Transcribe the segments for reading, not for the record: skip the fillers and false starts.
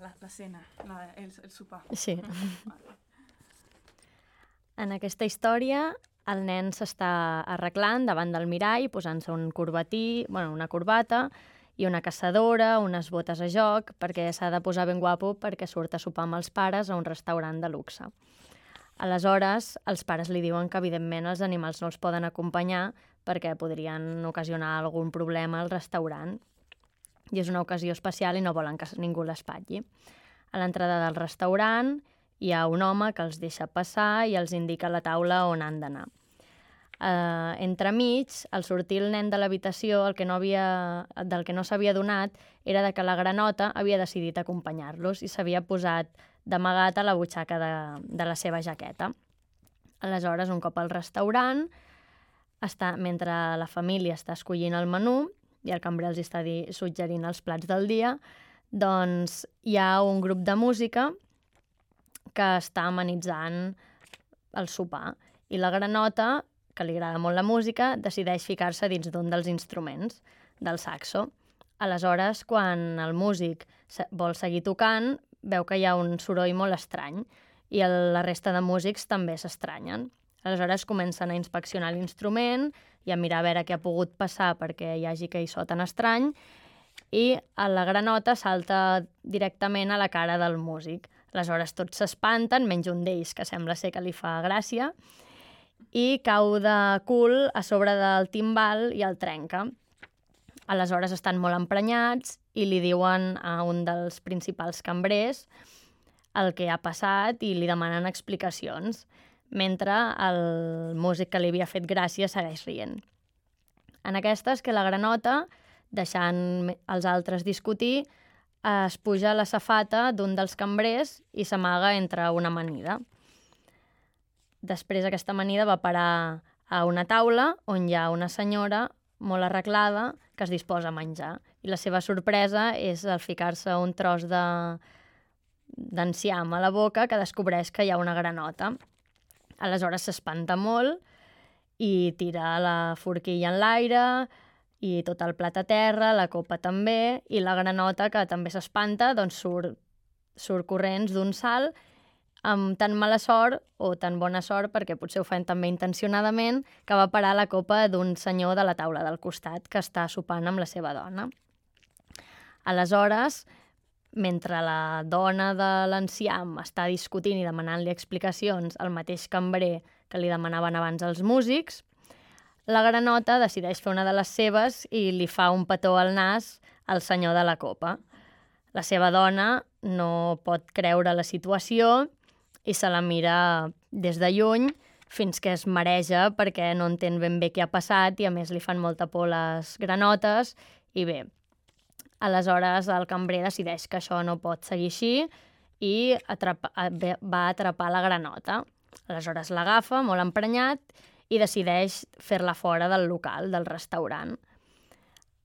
La cena, el sopar. Sí. En aquesta història, el nen s'està arreglant davant del mirall, posant-se un corbatí, una corbata i una caçadora, unes botes a joc, perquè s'ha de posar ben guapo perquè surt a sopar amb els pares a un restaurant de luxe. Aleshores, els pares li diuen que, evidentment, els animals no els poden acompanyar perquè podrien ocasionar algun problema al restaurant. I és una ocasió especial i no volen que ningú l'espatlli. A l'entrada del restaurant hi ha un home que els deixa passar i els indica la taula on han d'anar. Entremig, al sortir el nen de l'habitació, del que no s'havia adonat era que la granota havia decidit acompanyar-los i s'havia posat d'amagat a la butxaca de la seva jaqueta. Aleshores, un cop al restaurant, mentre la família està escollint el menú i el cambrer els està suggerint els plats del dia, doncs hi ha un grup de música que està amenitzant el sopar. I la granota, que li agrada molt la música, decideix ficar-se dins d'un dels instruments, del saxo. Aleshores, quan el músic vol seguir tocant, veu que hi ha un soroll molt estrany i la resta de músics també s'estranyen. Aleshores comencen a inspeccionar l'instrument i a mirar a veure què ha pogut passar perquè hi hagi aquell so tan estrany, i la granota salta directament a la cara del músic. Aleshores tots s'espanten, menys un d'ells, que sembla ser que li fa gràcia, i cau de cul a sobre del timbal i el trenca. Aleshores estan molt emprenyats i li diuen a un dels principals cambrers el que ha passat i li demanen explicacions, mentre el músic que li havia fet gràcia segueix rient. En aquestes, que la granota, deixant els altres discutir, es puja a la safata d'un dels cambrers i s'amaga entre una amanida. Després aquesta amanida va parar a una taula on hi ha una senyora molt arreglada que es disposa a menjar. I la seva sorpresa és al ficar-se un tros d'enciam a la boca que descobreix que hi ha una granota. Aleshores s'espanta molt i tira la forquilla en l'aire i tot el plat a terra, la copa també, i la granota, que també s'espanta, doncs surt corrents d'un salt amb tan mala sort o tan bona sort, perquè potser ho fan també intencionadament, que va parar la copa d'un senyor de la taula del costat que està sopant amb la seva dona. Aleshores, mentre la dona de l'enciam està discutint i demanant-li explicacions al mateix cambrer que li demanaven abans els músics, la granota decideix fer una de les seves i li fa un petó al nas al senyor de la copa. La seva dona no pot creure la situació i se la mira des de lluny fins que es mareja perquè no entén ben bé què ha passat i a més li fan molta por les granotes i bé. Aleshores el cambrer decideix que això no pot seguir així i va atrapar la granota. Aleshores l'agafa, molt emprenyat, i decideix fer-la fora del local, del restaurant.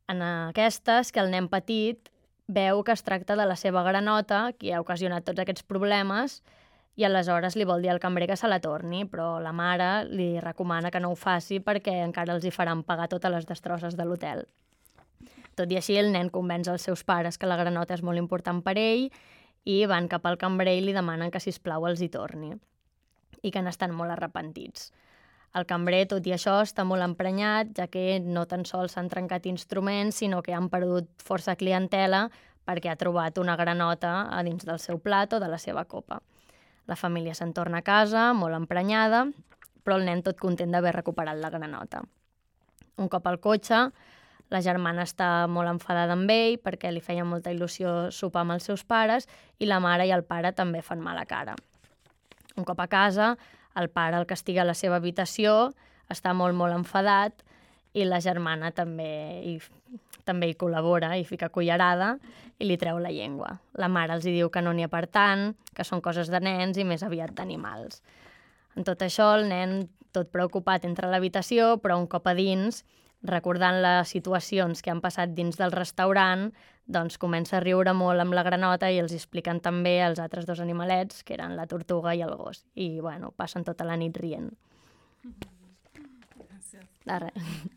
En aquestes, que el nen petit veu que es tracta de la seva granota, qui ha ocasionat tots aquests problemes, i aleshores li vol dir al cambrer que se la torni, però la mare li recomana que no ho faci perquè encara els hi faran pagar totes les destrosses de l'hotel. Tot i així, el nen convenç els seus pares que la granota és molt important per ell i van cap al cambrer i li demanen que, sisplau, els hi torni i que n'estan molt arrepentits. El cambrer, tot i això, està molt emprenyat, ja que no tan sols s'han trencat instruments, sinó que han perdut força clientela perquè ha trobat una granota a dins del seu plat o de la seva copa. La família se'n torna a casa, molt emprenyada, però el nen tot content d'haver recuperat la granota. Un cop al cotxe, la germana està molt enfadada amb ell perquè li feia molta il·lusió sopar amb els seus pares i la mare i el pare també fan mala cara. Un cop a casa, el pare el castiga a la seva habitació, està molt, molt enfadat i la germana també hi col·labora i fica cullerada i li treu la llengua. La mare els diu que no n'hi ha per tant, que són coses de nens i més aviat d'animals. En tot això, el nen, tot preocupat, entra a l'habitació, però un cop a dins, recordant les situacions que han passat dins del restaurant, doncs comença a riure molt amb la granota i els expliquen també els altres dos animalets, que eren la tortuga i el gos. I, bueno, passen tota la nit rient. Gràcies. Gràcies. De res.